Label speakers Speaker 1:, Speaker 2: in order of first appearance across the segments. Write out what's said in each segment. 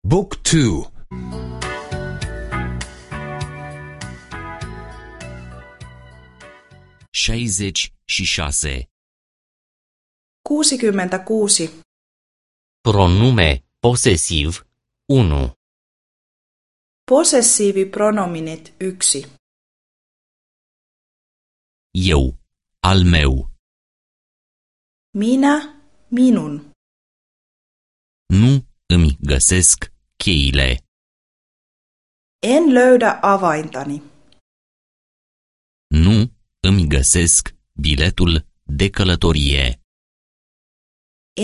Speaker 1: Book 2.
Speaker 2: 66.
Speaker 3: 66.
Speaker 2: Pronume posesiv 1.
Speaker 3: Possessiivipronominit 1.
Speaker 2: Eu, al meu.
Speaker 3: Minä, minun.
Speaker 2: Nu îmi găsesc cheile.
Speaker 3: En löydä avaintani.
Speaker 2: Nu îmi găsesc biletul de călătorie.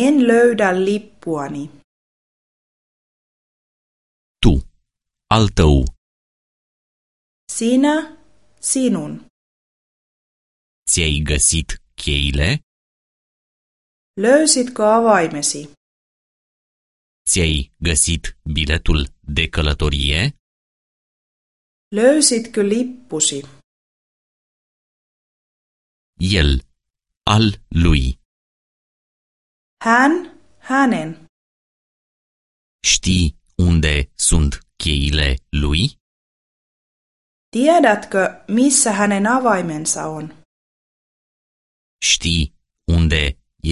Speaker 3: En löydä lippuani.
Speaker 2: Tu, al tău.
Speaker 3: Sinä, sinun.
Speaker 2: Ți-ai găsit cheile?
Speaker 3: Löysitkö avaimesi?
Speaker 2: Ți-ai găsit biletul de călătorie?
Speaker 3: Löysitkö lippusi?
Speaker 2: El, al lui.
Speaker 3: Hän, hänen.
Speaker 2: Știi unde sunt cheile lui?
Speaker 3: Tiedätkö, missä hänen avaimensa on?
Speaker 2: Știi unde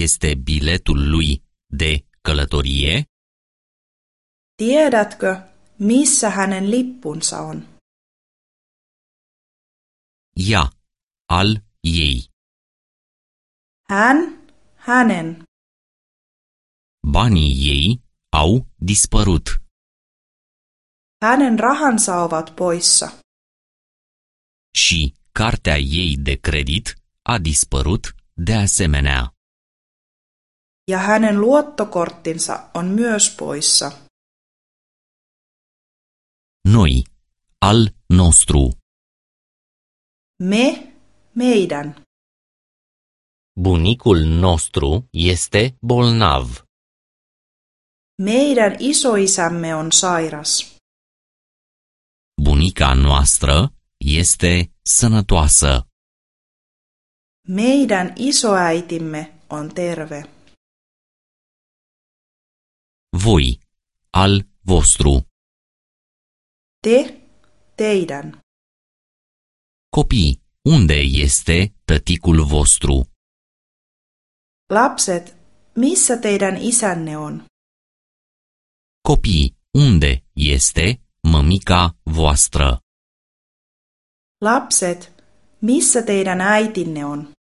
Speaker 2: este biletul lui de călătorie?
Speaker 3: Tiedätkö, missä hänen lippunsa on?
Speaker 2: Ea, al ei.
Speaker 3: Hän, hänen.
Speaker 2: Banii ei au dispărut.
Speaker 3: Hänen rahansa ovat poissa.
Speaker 2: Și cartea ei de credit a dispărut de asemenea.
Speaker 3: Ja hänen luottokorttinsa on myös poissa.
Speaker 2: Noi, al nostru.
Speaker 3: Me, meidän.
Speaker 2: Bunicul nostru este bolnav.
Speaker 3: Meidän isoisämme on sairas.
Speaker 2: Bunica noastră este sănătoasă.
Speaker 3: Meidän isoäitimme on terve.
Speaker 2: Voi, al vostru.
Speaker 3: Te, teidän.
Speaker 2: Copii, unde este tăticul vostru?
Speaker 3: Lapset, missä teidän isänne on?
Speaker 2: Copii, unde este mămica voastră?
Speaker 3: Lapset, missä teidän äitinne on?